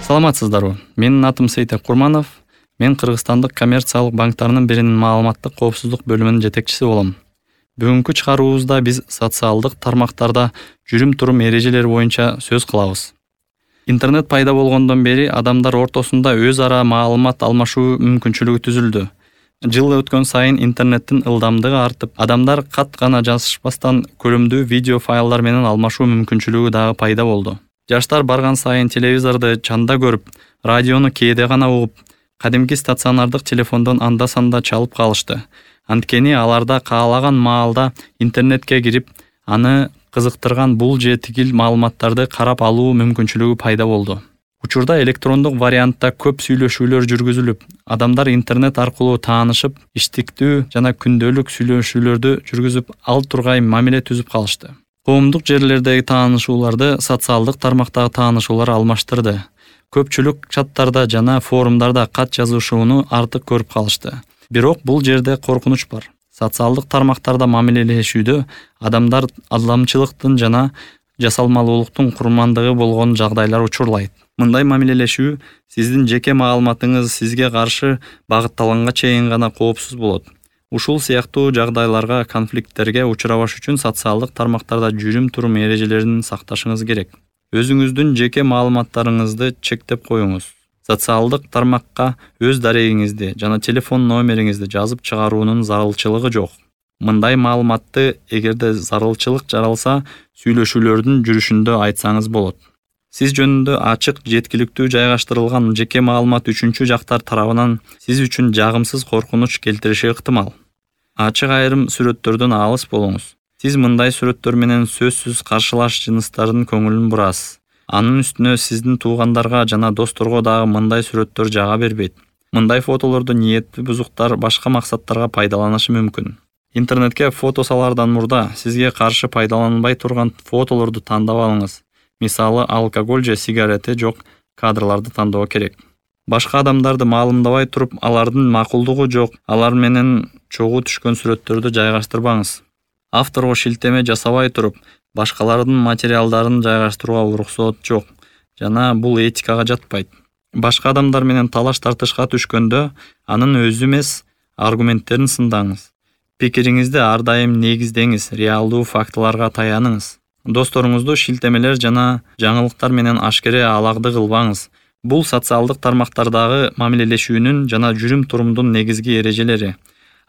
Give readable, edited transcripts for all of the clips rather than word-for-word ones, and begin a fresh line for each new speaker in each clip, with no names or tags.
Саламатсыздарбы? Менин атым Сейтек Курманов. Мен Кыргызстандык коммерциялык банктарынын биринин маалыматтык коопсуздук бөлүмүнүн жетекчиси болом. Бүгүнкү чыгарууубузда биз социалдык тармактарда жүрүм-турум эрежелери боюнча сөз кылабыз. Интернет пайда болгондон бери адамдар ортосунда өз ара маалымат алмашуу мүмкүнчүлүгү түзүлдү. Жыл өткөн сайын интернеттин ылдамдыгы артып, адамдар кат гана жазышпастан көрүмдүү видео файлдар менен алмашуу мүмкүнчүлүгү дагы пайда болду. Жаштар барган сайын телевизорду чанда көрүп, радиону кээде гана угуп, кадимки стационардык телефондон анда-санда чалып калышты. Анткени аларда каалаган маалда интернетке кирип, аны кызыктырган бул же тигил маалыматтарды карап алуу мүмкүнчүлүгү пайда болду. Учурда электрондук вариантта көп сүйлөшүүлөр жүргүзүлүп, адамдар интернет аркылуу таанышып, иштиктүү жана күндөлүк сүйлөшүүлөрдү жүргүзүп, ал тургай мамиле түзүп калышты. Коомдук жерлердеги таанышууларды социалдык тармактагы таанышуулар алмаштырды. Көпчүлүк чаттарда жана форумдарда кат жазышууну артык көрүп калышты. Бирок бул жерде коркунуч бар. Социалдык тармактарда мамилелешүүдө адамдар алдамчылыктын жана жасалмалуулуктун курмандыгы болгон жагдайлар учурлайт. Мындай мамилелешүү сиздин жеке маалыматыңыз сизге каршы багытталганга чейин гана коопсуз болот. Ушул сыяктуу жагдайларга, конфликттерге учурабаш үчүн социалдык тармактарда жүрүм-турум эрежелерин сакташыңыз керек. Өзүңүздүн жеке маалыматтарыңызды чектеп коюңуз. Социалдык тармакка өз дарегиңизди жана телефон номериңизди жазып чыгаруунун зарылчылыгы жок. Мындай маалыматты эгерде зарылчылык жаралса, сүйлөшүүлөрдүн жүрүшүндө айтсаңыз болот. Сиз жөнүндө ачык, жеткиликтүү жайгаштырылган жеке маалымат үчүнчү жактар тарабынан сиз үчүн жагымсыз коркунуч келтириши ыктымал. Ачык айрым сүрөттөрдөн алыс болуңуз. Сиз мындай сүрөттөр менен сөзсүз каршылаш жыныстардын көңүлүн бурасыз. Анын үстүнө сиздин туугандарга жана досторго дагы мындай сүрөттөр жага бербейт. Мындай фотолорду ниеттүү бузуктар башка максаттарга пайдаланышы мүмкүн. Интернетке фото салардан мурда сизге каршы пайдаланбай турган фотолорду тандап алыңыз. Мисалы, алкоголь же сигарети жок кадрларды тандоо керек. Башка адамдарды маалымдабай туруп, алардын макулдугу жок, алар менен чогуу түшкөн сүрөттөрдү жайгаштырбаңыз. Авторго шилтеме жасабай туруп, башкалардын материалдарын жайгаштырууга уруксат жок жана бул этикага жатпайт. Башка адамдар менен талаш-тартышка түшкөндө, анын өзү эмес, аргументтерин сындаңыз. Пикириңизди ар дайым негиздеңиз, реалдуу фактыларга таяныңыз. Досторуңузду шилтемелер жана жаңылыктар менен ашкере алагды кылбаңыз. Бул социалдык тармактардагы мамилелешүүнүн жана жүрүм-турумдун негизги эрежелери.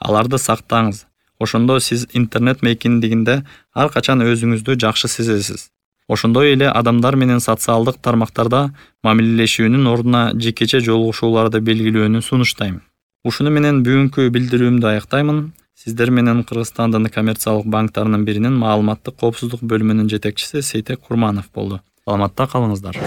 Аларды сактаңыз. Ошондо сиз интернет мейкиндигинде ар качан өзүңүздү жакшы сезесиз. Ошондой эле адамдар менен социалдык тармактарда мамилелешүүнүн ордуна жекече жолугушууларды белгилөөнү сунуштайм. Ушуну менен бүгүнкү билдирүүмдү аяктаймын. Сиздер менен Кыргызстандын коммерциялык банктарынын биринин маалыматтык коопсуздук бөлүмүнүн жетекчиси Сейтек Курманов болду. Саламатта калыңыздар.